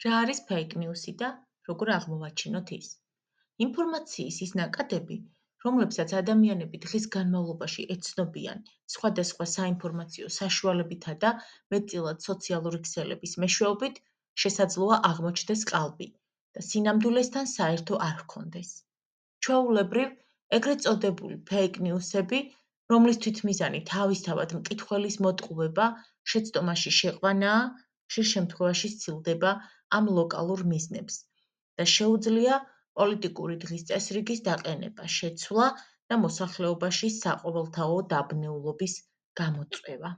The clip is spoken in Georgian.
რა არის fake news-ი და როგორ აღმოვაჩინოთ ის? ინფორმაციის ის ნაკადები, რომლებსაც ადამიანები დღის განმავლობაში ეცნობიან სხვადასხვა საინფორმაციო საშუალებითა და მეტწილად სოციალური ქსელების მეშვეობით, შესაძლოა აღმოჩნდეს ყალბი და სინამდვილესთან საერთო არ ჰქონდეს. ჩვეულებრივ, ეგრეთ წოდებული fake news-ები, რომლის თვითმიზანი თავისთავად მკითხველის მოტყუება, შეცდომაში შეყვანაა, ხშირ შემთხვევაში სცილდება ამ ლოკალურ მიზნებს და შეუძლია პოლიტიკური დღის წესრიგის დაყენება, შეცვლა და მოსახლეობაში საყოველთაო დაბნეულობის გამოწვევა.